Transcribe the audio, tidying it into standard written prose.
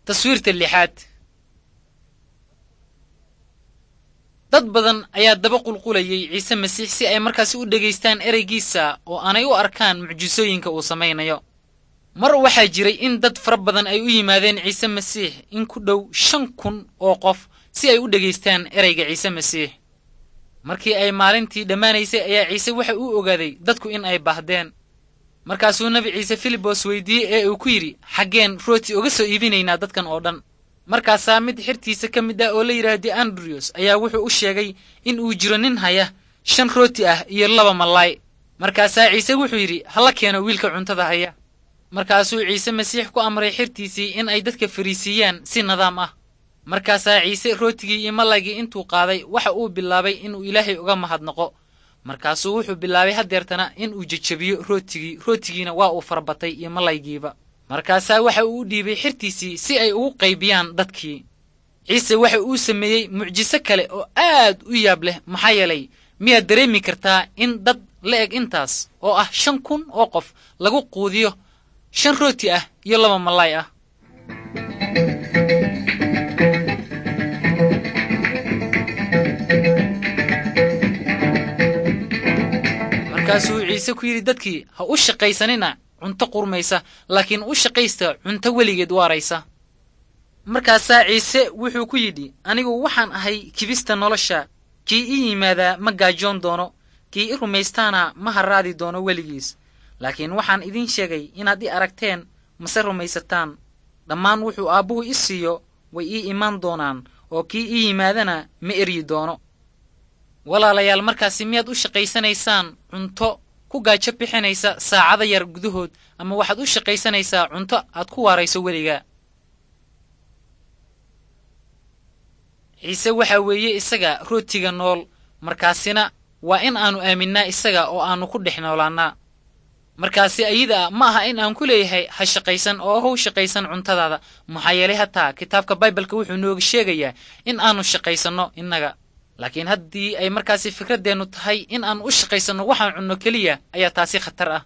Taswiirta lixaad. Dad badan ayaa daba qulqulayay Ciise Masiix si ay markaasi u dhegaystaan ereygiisa oo aanay u arkaan mucjisooyinka uu samaynayo. Mar waxaa jiray in dad fara badan ay u yimaadeen Ciise Masiix, in ku dhow 5000 oo qof, si ay u dhegaystaan ereyga Ciise Masiix. Markii ay maalintii dhammaanaysay ayaa Ciise waxa uu ogaaday dadku in ay baahdeen. Markaasuu Nebi Ciise Filibos weydiiyey ee uu ku yidhi, "Xaggeen rooti uga soo iibinaynaa dadkan oo dhan?" Markaasaa mid xirtiisa ka mid ah oo la yidhaahdo Andriyos ayaa wuxuu u sheegay in uu jiro nin haya 5 rooti ah iyo 2 malaay. Markaasaa Ciise wuxuu yidhi, "Hala keeno wiilka cuntada haya." Markaasuu Ciise Masiix ku amray xirtiisii in ay dadka fariisiiyaan si nidaam ah. Markaasaa Ciise rootigii iyo malaygii intuu qaaday waxa uu bilaabay inuu Ilaahay uga mahadnaqo. Markaasuu wuxuu bilaabay haddeertana in uu jejebiyo rootigii, rootigiina waa uu farabatay iyo malaygiiba. Markaasaa waxa uu u dhiibay xirtiisii si ay ugu qaybiyaan dadkii. Ciise waxa uu sameeyey mucjiso kale oo aad u yaab leh, maxaa yeelay miyaad dareemi kartaa in dad la eg intaas oo ah 5000 oo qof lagu quudiyo 5 rooti ah iyo 2 malaay ah? Markaasuu Ciise ku yidhi dadkii, "Ha u shaqaysanina cunto qurmaysa, laakiin u shaqaysta cunto weligeed waaraysa." Markaasaa Ciise wuxuu ku yidhi, "Anigu waxaan ahay kibista nolosha. Kii ii yimaadaa ma gaajoon doono, kii i rumaystaana ma harraadi doono weligiis. Laakiin waxaan idiin sheegay inaad i aragteen mase rumaysataan. Dhammaan wuxuu Aabbuhu i siiyo way ii imaan doonaan, oo kii ii yimaadana ma eryi doono." Walaalayaal, markaasi miyaad u shaqaysanaysaan cunto ku gaajo bixinaysa saacada yar gudahood, ama waxaad u shaqaysanaysaa cunto aad ku waarayso weligaa? Ciise waxa weeye isaga rootiga nool, markaasina waa in aanu aaminnaa isaga oo aanu ku dhex noolaannaa. Markaasi ayada ma aha in aan ku leeyahay ha shaqaysan oo how shaqaysan cuntadaada, maxaa yeelay hataa kitaabka Baibalka wuxuu nooga sheegayaa in aanu shaqaysanno innaga. Laakiin haddii ay markaasi fikraddeennu tahay in aan u shaqaysanno waxaan cunno keliya, ayaa taasi khatar ah.